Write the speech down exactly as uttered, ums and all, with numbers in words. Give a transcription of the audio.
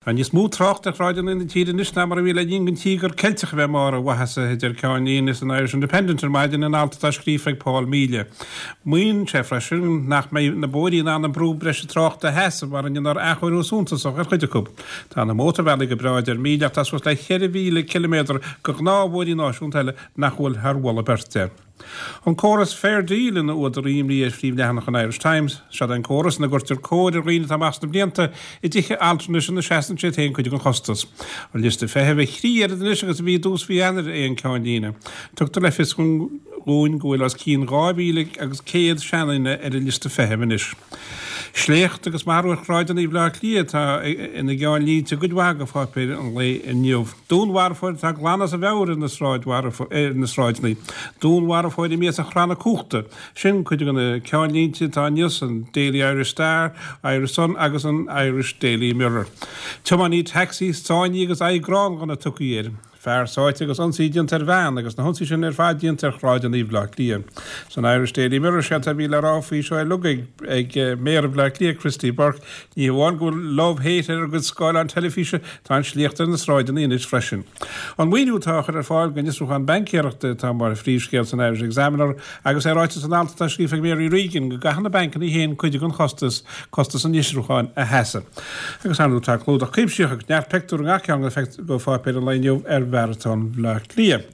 Tá níos mó trácht ar shráideanna na tíre anois ná mar a bhí le linn don Tíogar Ceilteach a bheith i mbarr a mhaitheasa, a deir ceannlíne san Irish Independent ar maidin in alt atá scríofa ag Paul Melia. Maíonn sé freisin nach mbeidh na bóithre in ann an brú breise tráchta a sheasamh mura ndéanfar athchóiriú suntasach ar chuid acu. Tá na mótarbhealaí go breá, a deir Melia, ach tá suas le ceithre mhíle ciliméadar de ghnáthbhóithrí náisiúnta eile nach bhfuil thar mholadh beirte. An córas Fair Deal ina údar imní ar phríomhleathanach an Irish Times, Seod é an córas ina gcuirtear cóir ar dhaoine atá amach sna blianta i dtithe altranais ina seasann siad féin cuid den chostas. An liosta feithimh a thrí oiread anois agus a bhí i dtús mhí Eanáir é an ceannlíne. Tugtar le fios dúinn go bhfuil os cionn dhá mhíle agus céad seanduine ar an liosta feithimh anois. Sléacht agus marú ar shráideanna Bhaile Átha Cliath atá ina gceannlínte i gcuid mhaith de pháipéir an lae inniu. Dúnmharfóir atá glan as a mheabhair ar na ar na sráideanna. Dúnmharfóir imithe as a chranna cumhachta. Sin cuid de na ceannlínte atá inniu san Daily Irish Star, Irish Sun agus an Irish Daily Mirror. Tiománaí tacsaí sáinnithe agus aghaidh gránghunna tugtha air. Fear sáite agus ionsaí déanta ar bhean agus na hionsaí sin ar fad déanta ar shráideanna Bhaile Átha Cliath. San Irish Daily Mirror séard a bhí le rá faoi seo uilig ag Méara Bhaile Átha Cliath, Christy Burke, ní hamháin go bhfuil love hate ar a gcuid scáileán teilifíse, tá an sléacht ar na sráideanna anois freisin. An maoiniú atá á chur ar fáil don fhiosrúchán baincéireachta atá mar phríomhscéal san Irish Examiner agus é ráite san alt atá scríofa ag Mary Regan go gcaithfidh na bancanna féin cuid den chostas, costas an fhiosrúcháin, a sheasamh. Agus ar ndóigh tá clúdach cuimsitheach agus neart pictiúr i ngach ceann de pháipéir an lae inniu ar Mharatón Bhaile Átha Cliath.